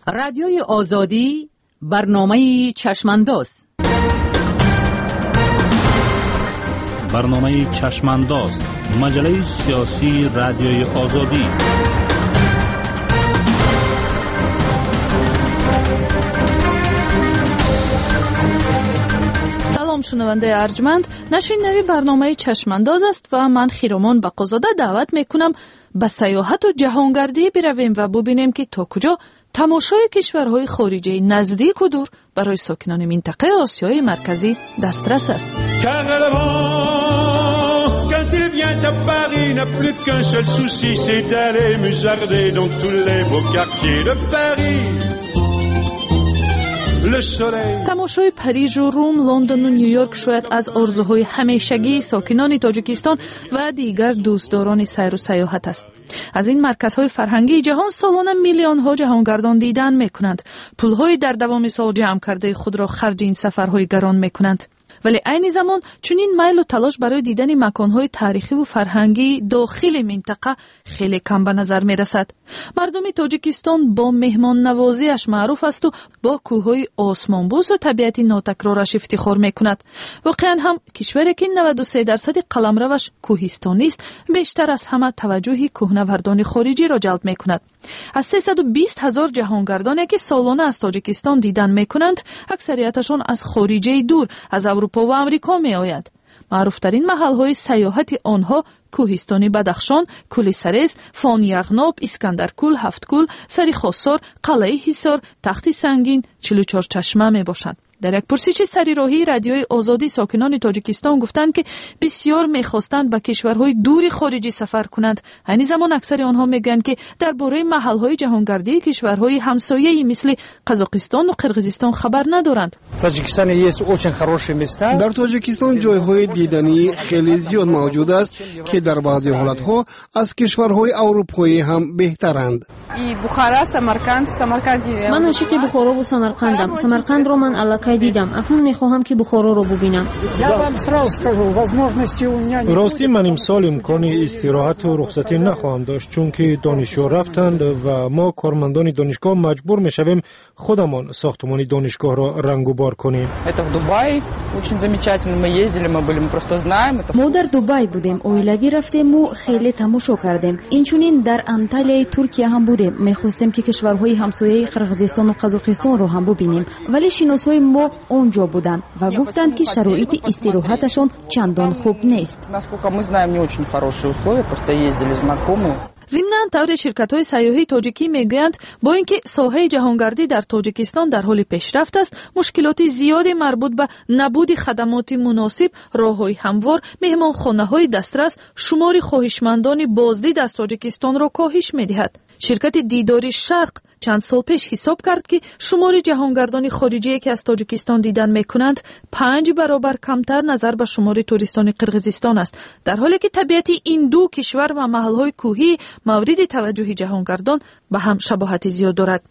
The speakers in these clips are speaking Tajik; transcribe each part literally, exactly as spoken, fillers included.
Радиои Озодӣ, барномаи Чашмандоз. Барномаи Чашмандоз, маҷаллаи сиёсии Радиои Озодӣ. Салом, шунавандаи арҷманд. Нашри нави барномаи Чашмандоз аст ва ман Хиромон Бақозода даъват мекунам ба сайёҳату ҷаҳонгардӣ биравем ва бубинем, ки то куҷо тамошои кишварҳои хориҷии наздику дур барои сокинони минтақаи Осиёи Марказӣ дастрас аст. Quand il vient à Paris, n'a plus qu'un seul souci, c'est d'aller musarder dans tous les beaux quartiers de Paris. Тамошои Парижу Рум, Лондону Нью-Йорк шояд аз орзуҳои ҳамешагии сокинони Тоҷикистон ва дигар дӯстдорони сайру сайёҳат аст. Аз ин марказҳои фарҳангии ҷаҳон солона миллионҳо ҷаҳонгардон дидан мекунанд. Пулҳои дар давоми сол ҷамъ кардаи худро харҷи ин сафарҳои гарон мекунанд. Вале айни замон чунин майлу талош барои дидани маконҳои таърихиву фарҳангии дохили минтақа хеле кам ба назар мерасад. Мардуми Тоҷикистон бо меҳмоннавозиаш маъруф асту бо кӯҳҳои осмонбӯсу табиати нотакрораш ифтихор мекунад. Воқеан ҳам кишваре, ки наваду се дарсади қаламраваш кӯҳистонист, бештар аз ҳама таваҷҷӯҳи кӯҳнавардони хориҷиро ҷалб мекунад. Аз сесаду бист ҳазор ҷаҳонгардоне, ки солона аз Тоҷикистон дидан мекунанд, аксарияташон аз хориҷаи дур, аз Аврупо ва Амрико меоянд. Маъруфтарин маҳалҳои сайёҳати онҳо кӯҳистони Бадахшон, Кӯли Сарез, Фон Яғноб, Искандаркӯл, Ҳафткӯл, Сари Хосор, Қалъаи Ҳисор, Тахти Сангин, чилу чор чашма мебошанд. Дар як пурсиши сари роҳии Радиои Озодӣ сокинони Тоҷикистон гуфтанд, ки бисёр мехостанд ба кишварҳои дури хориҷӣ сафар кунанд. Айни замон аксари онҳо мегӯянд, ки дар бораи маҳалҳои ҷаҳонгардии кишварҳои ҳамсояи мисли Қазоқистону Қирғизистон хабар надоранд. Дар Тоҷикистон ҷойҳои диданӣ хеле зиёд мавҷуд аст, ки дар баъзе ҳолатҳо аз кишварҳои аврупоӣ ҳам беҳтаранд. Ман ошиқи Бухорову Самарқандам. Самарқандро ман аллакай дидам, акнун мехоҳам, ки Бухороро бубинам. Ростӣ, ман имсол имкони истироҳату рухсатӣ нахоҳам дошт, чунки донишҷӯ рафтанд ва мо, кормандони донишгоҳ, маҷбур мешавем худамон сохтмони донишгоҳро рангубор кунем. Мо дар Дубай будем, оилавӣ рафтему хеле тамошо кардем. Инчунин дар Анталияи Туркия ҳам будем. Мехостем, ки кишварҳои ҳамсояи Қирғизистону Қазоқистонро ҳам бубинем, вале шиносҳои мо он ҷо буданд ва гуфтанд, ки шароити истироҳаташон чандон хуб нест. Зимнан, тавре ширкатҳои сайёҳии тоҷикӣ мегӯянд, бо ин ки соҳаи ҷаҳонгардӣ дар Тоҷикистон дар ҳоли пешрафт аст, мушкилоти зиёде марбут ба набуди хадамоти муносиб, роҳҳои ҳамвор, меҳмонхонаҳои дастрас шумори хоҳишмандони боздид аз Тоҷикистонро коҳиш медиҳад. Ширкати Дидори Шарқ чанд сол пеш ҳисоб кард, ки шумори ҷаҳонгардони хориҷие, ки аз Тоҷикистон дидан мекунанд, панҷ баробар камтар назар ба шумори туристони Қирғизистон аст, дар ҳоле ки табиати ин ду кишвар ва маҳалҳои кӯҳии мавриди таваҷҷӯҳи ҷаҳонгардон ба ҳам шабоҳати зиёд дорад.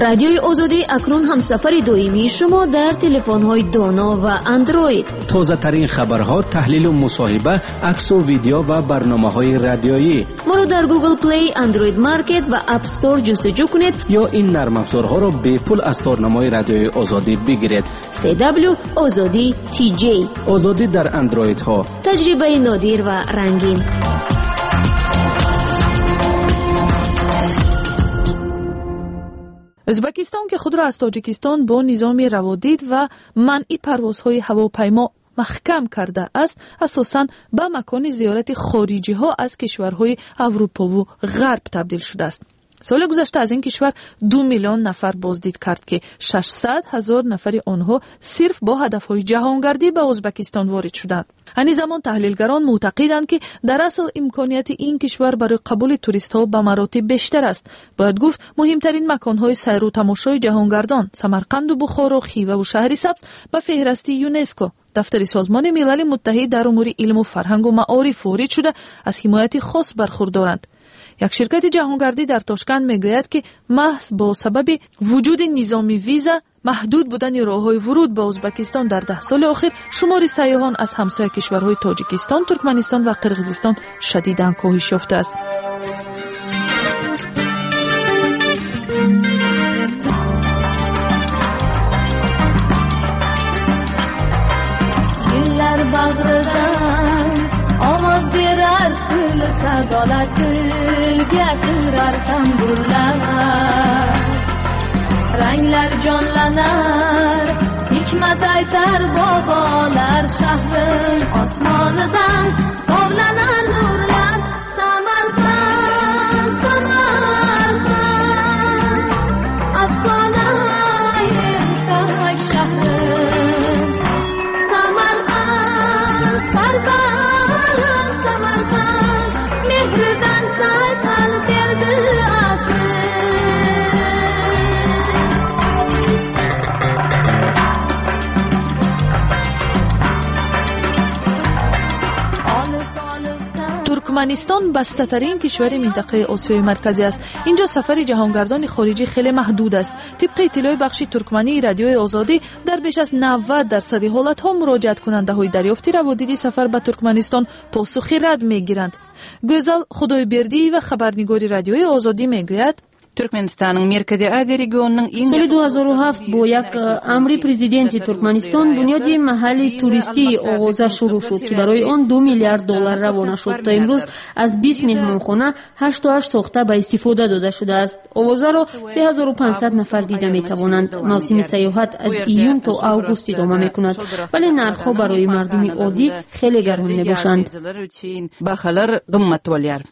Радиои Озодӣ акнун ҳамсафари доимии шумо дар телефонҳои доно ва Андроид. Тозатарин хабарҳо, таҳлилу мусоҳиба, аксу видео ва барномаҳои радиоӣ. Моро дар Google Play, Android Market ва App Store ҷустуҷӯ кунед. Ё ин нармафзорҳоро бепул аз торнамои Радиои Озодӣ бигиред. C W Озодӣ T J. Озодӣ дар андроидҳо. Таҷрибаи нодир ва рангин. Ӯзбекистон, ки худро аз Тоҷикистон бо низоми раводид ва манъи парвозҳои ҳавопаймо маҳкам кардааст, асосан ба макони зиёрати хориҷиҳо аз кишварҳои Аврупову Ғарб табдил шудааст. Соли гузашта аз ин кишвар ду миллион нафар боздид кард, ки шашсад ҳазор нафари онҳо сирф бо ҳадафҳои ҷаҳонгардӣ ба Ӯзбекистон ворид шуданд. Айни замон таҳлилгарон мӯътақиданд, ки дар асл имконияти ин кишвар барои қабули туристҳо ба маротиб бештар аст. Бояд гуфт, муҳимтарин маконҳои сайру тамошои ҷаҳонгардон, Самарқанду Бухоро, Хиваву Шаҳри Сабз, ба феҳрасти ЮНЕСКО, дафтари Созмони Милали Муттаҳид дар умури илму фарҳангу маориф, ворид шуда, аз ҳимояти хос бархурдоранд. Як ширкати ҷаҳонгардӣ дар Тошканд мегӯяд, ки маҳз бо сабаби вуҷуди низоми виза, маҳдуд будани роҳҳои вуруд ба Ӯзбекистон дар даҳ соли охир шумори сайёҳон аз ҳамсоя кишварҳои Тоҷикистон, Туркманистон ва Қирғизистон шадидан коҳиш ёфтааст. Bag'ridan ovoz berar sil sadolar, tilga kirar tamburlar, ranglar jonlanar, hikmat aytar bobolar, shahrim osmonidan tovlanar nurlar. Samarqand, Samarqand, afsona ertak shahrim. Samarqand, sarbaland Samarqand, mehridan sayqal berdi asr. Туркманистон бастатарин кишвари минтақаи Осиёи Марказӣ аст. Инҷо сафари ҷаҳонгардони хориҷӣ хеле маҳдуд аст. Тибқи иттилои бахши туркмании радиои Озодӣ, дар беш аз навад дарсади ҳолатҳо муроҷиаткунандаҳои дарёфти раводиди сафар ба Туркманистон посухи рад мегиранд. Гӯзал Худойбердиева, хабарнигори радиои Озодӣ, мегӯяд: Türkmenistan'ın Merkezi Aziya regionunun eng Соли ду ҳазору ҳафт бо як амри президенти Туркманистон бунёди маҳалли туристии оғоза шурӯъ шуд, ки барои он ду миллиард доллар равона шуд. То имрӯз аз бист меҳмонхона ҳашту ҳашт сохта ба истифода дода шудааст. Овозаро се ҳазору панҷсад нафар дида метавонанд. Мавсими сайёҳат аз июн то август идома мекунад, вале нархҳо барои мардуми оддӣ хеле гарон мебошанд. Bahalar qimmat bo'lyar.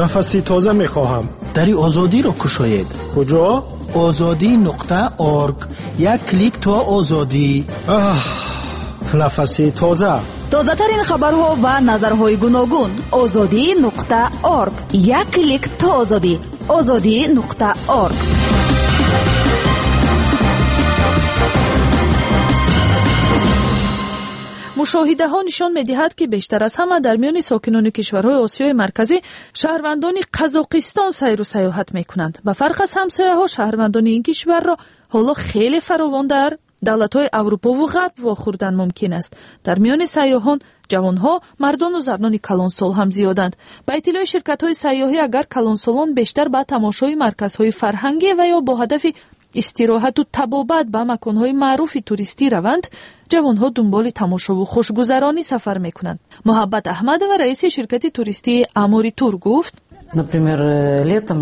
Нафаси тоза мехоҳам. Дари Озодиро кушоед. Куҷо? Озодӣ нуқта орг. Як клик то озодӣ. Аҳ, нафаси тоза. Тозатарин хабарҳо ва назарҳои гуногун. Озодӣ нуқта орг. Як клик то озодӣ. Озодӣ нуқта орг. Мушоҳидаҳо нишон медиҳад, ки бештар аз ҳама дар миёни сокинони кишварҳои Осиёи Марказӣ шаҳрвандони Қазоқистон сайру сайёҳат мекунанд. Ба фарқ аз ҳамсояҳо, шаҳрвандони ин кишварро ҳоло хеле фаровон дар давлатҳои Аврупову Ғарб вохӯрдан мумкин аст. Дар миёни сайёҳон ҷавонҳо, мардону занони калонсол ҳам зиёданд. Ба иттилои ширкатҳои сайёҳӣ, агар калонсолон бештар ба тамошои марказҳои фарҳангӣ ва ё бо ҳадафи истироҳату табобат ба маконҳои маъруфи туристӣ раванд, ҷавонҳо дунболи тамошову хушгузаронӣ сафар мекунанд. Муҳаббат Аҳмадова, раиси ширкати туристии Амори Тур, гуфт: Например, летом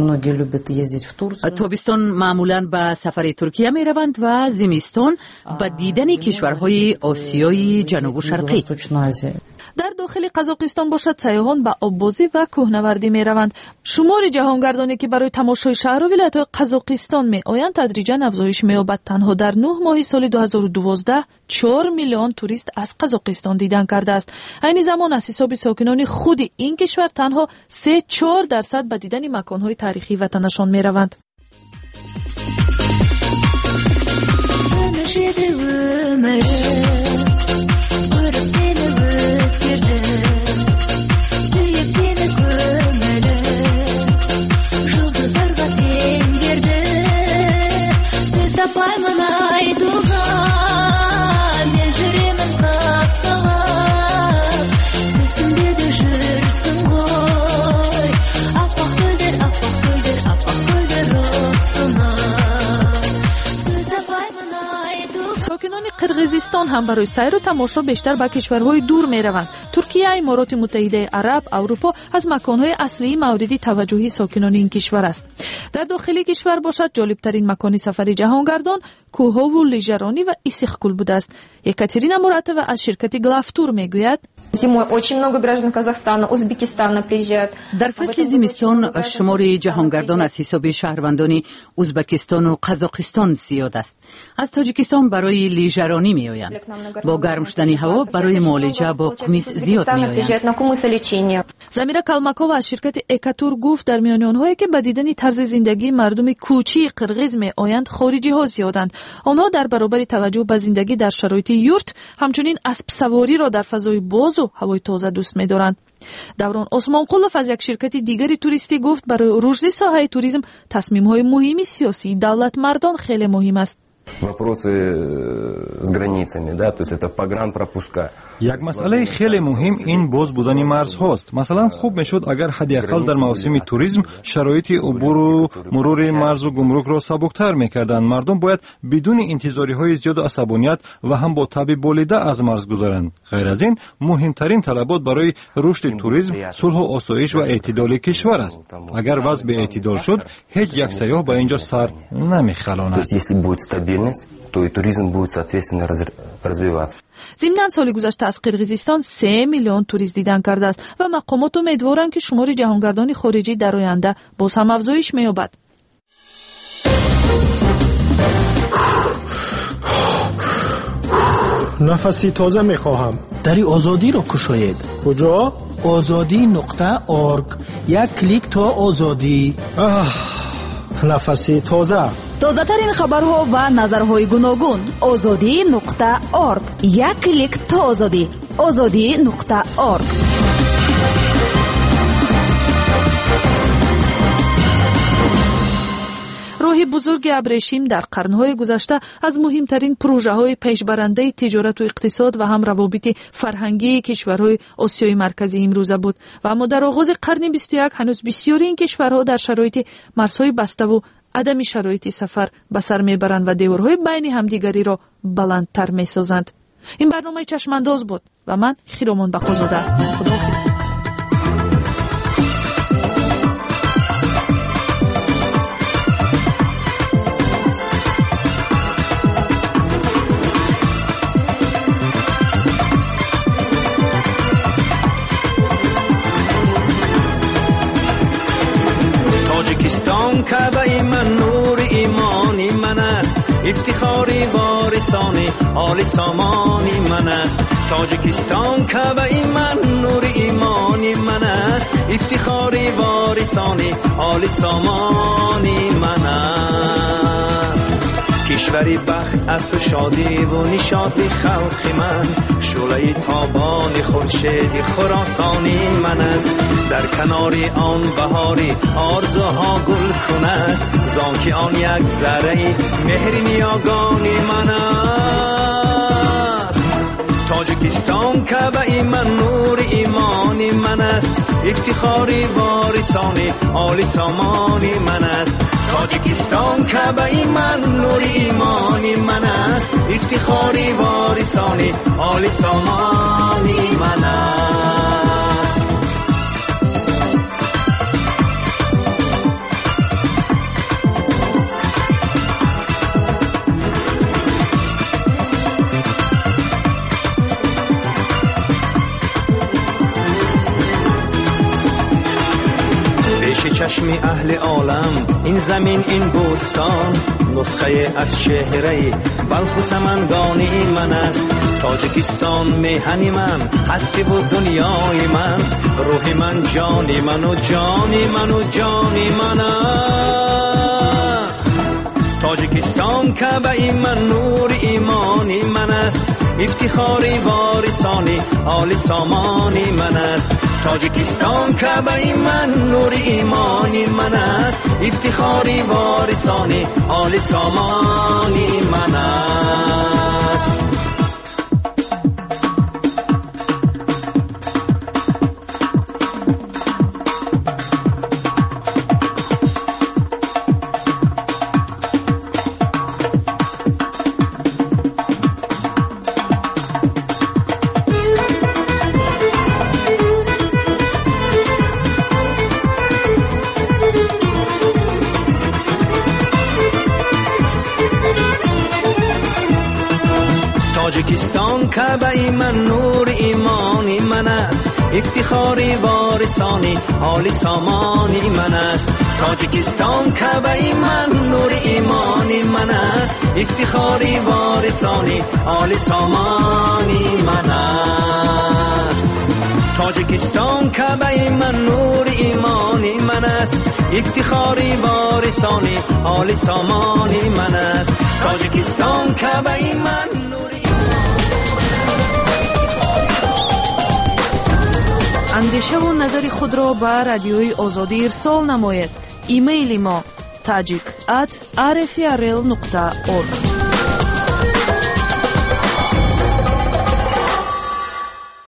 многие любят ездить в Турцию. Тобистон маъмулан ба сафари Туркия мераванд ва зимистон ба дидани кишварҳои Осиёи Ҷанубу Шарқӣ. Дар дохили Қазоқистон бошад, сайёҳон ба оббозӣ ва кӯҳнавардӣ мераванд. Шумори ҷаҳонгардоне, ки барои тамошои шаҳру вилоятҳои Қазоқистон меоянд, тадриҷан афзоиш меёбад. Танҳо дар нӯҳ моҳи соли ду ҳазору дувоздаҳ чор миллион турист аз Қазоқистон дидан кардааст. Айни замон аз ҳисоби сокинони худи ин кишвар танҳо се чор дарсад ба дидани маконҳои таърихии ватанашон мераванд. Сокинони Қирғизистон ҳам барои сайру тамошо бештар ба кишварҳои дур мераванд. Туркия, Имороти Муттаҳидаи Араб, Аврупо аз маконҳои аслии мавриди таваҷҷӯҳи сокинони ин кишвар аст. Дар дохили кишвар бошад, ҷолибтарин макони сафари ҷаҳонгардон кӯҳову лижаронӣ ва Иссиқкӯл будааст. Екатерина Муратова аз ширкати Главтур мегӯяд: Зимой очень много граждан Казахстана, Узбекистана приезжают. Дар фасли зимистон шумори ҷаҳонгардон аз ҳисоби шаҳрвандони Узбекистону Қазоқистон зиёд аст. Аз Тоҷикистон барои лижаронӣ меоянд. Бо гарм шудани ҳаво барои муолиҷа бо қумис зиёд меоянд. Замира Калмакова аз ширкати Экатур гуфт, дар миёни онҳое, ки ба дидани тарзи зиндагии мардуми кӯчии қирғиз меоянд, хориҷиҳо зиёданд. Онҳо дар баробари таваҷҷӯҳ ба зиндагӣ дар шароити юрт, ҳамчунин аспсавориро дар фазои бозу ҳавои тоза дӯст медоранд. Даврон Осмонқулов аз як ширкати дигари туристӣ гуфт, барои рушди соҳаи туризм тасмимҳои муҳими сиёсии давлатмардон хеле муҳим аст. Вопросы с границами, да, то есть это погранпропуска. Як масъалаи хеле муҳим ин боз будани марзҳост. Масалан, хуб мешуд агар ҳадди ақал дар мавсими туризм шароити убуру мурури марзу гумрукро сабуктар мекарданд. Мардум бояд бидуни интизориҳои зиёду асабоният ва ҳам бо таби болида аз марз гузаранд. Ғайр аз ин, муҳимтарин талабот барои рушди туризм сулҳу осоиш ва эътидоли кишвар аст. Агар вазъ беэътидол шуд, ҳеҷ як сайёҳ ба ин ҷо сар намехалонад. То есть если будет стабильность, то и туризм будет соответственно развиваться. Зимнан соли гузашта аз Қирғизистон се миллион турист дидан кардааст ва мақомот умедворанд, ки шумори ҷаҳонгардони хориҷӣ дар оянда боз ҳам афзоиш меёбад. Нафаси тоза мехоҳам. Дари Озодиро кушоед. Куҷо? Озодӣ нуқта орг. Як клик то озодӣ. Аҳ, нафаси тоза. Тозатарин хабарҳо ва назарҳои гуногун. Озодӣ нуқта орг. Як клик то озодӣ. Озодӣ нуқта орг. Роҳи бузурги абрешим дар қарнҳои гузашта аз муҳимтарин прӯжаҳои пешбарандаи тиҷорату иқтисод ва ҳам равобити фарҳангии кишварҳои Осиёи Марказӣ имрӯза буд. Ва аммо дар оғози қарни бисту як ҳанӯз бисёри ин кишварҳо дар шароити марзҳои баставу адами шароити сафар ба сар мебаранд ва деворҳои байни ҳамдигариро баландтар месозанд. Ин барномаи Чашмандоз буд ва ман Хиромон Бақозода. Худоҳофиз. Тоҷикистон каъбаи ман, нури имони ман аст, ифтихори ворисони оли сомони ман аст. Тоҷикистон каъбаи ман, нури имони ман аст, ифтихори ворисони оли сомони ман аст. Кишвари бахт аз ту шодиву нишоти халқи ман, шӯълаи тобони хуршеди хуросони ман аст. Дар канори он баҳори орзуҳо гул кунад, зон ки он як зарраи меҳри ниёгони ман аст. Тоҷикистон каъбаи ман, нури имони ман аст, ифтихори ворисони оли сомони ман аст. Тоҷикистон каъбаи ман, нури имони ман аст, ифтихори ворисони оли сомони ман аст. Чашми аҳли олам ин замин, ин бӯстон, нусхае аз чеҳраи Балху Самангони ман аст. Тоҷикистон меҳани ман, ҳастиву дунёи ман, рӯҳи ман, ҷони ману ҷони ману ҷони ман аст. Тоҷикистон каъбаи ман, нури имони ман аст, ифтихори ворисони оли сомони ман аст. Тоҷикистон каъбаи ман, нури имони ман аст, ифтихори ворисони оли сомони ман аст. Тоҷикистон каъбаи ман, нури имони ман аст, ифтихори ворисони оли сомони ман аст. Тоҷикистон каъбаи ман, нури имони ман аст, ифтихори ворисони оли сомони ман аст. Тоҷикистон каъбаи ман, нури имони ман аст, ифтихори ворисони оли сомони ман аст. Тоҷикистон каъбаи ман. Андешаву назари худро ба Радиои Озодӣ ирсол намоед. Имейли мо tajik at rfrl нуқта org.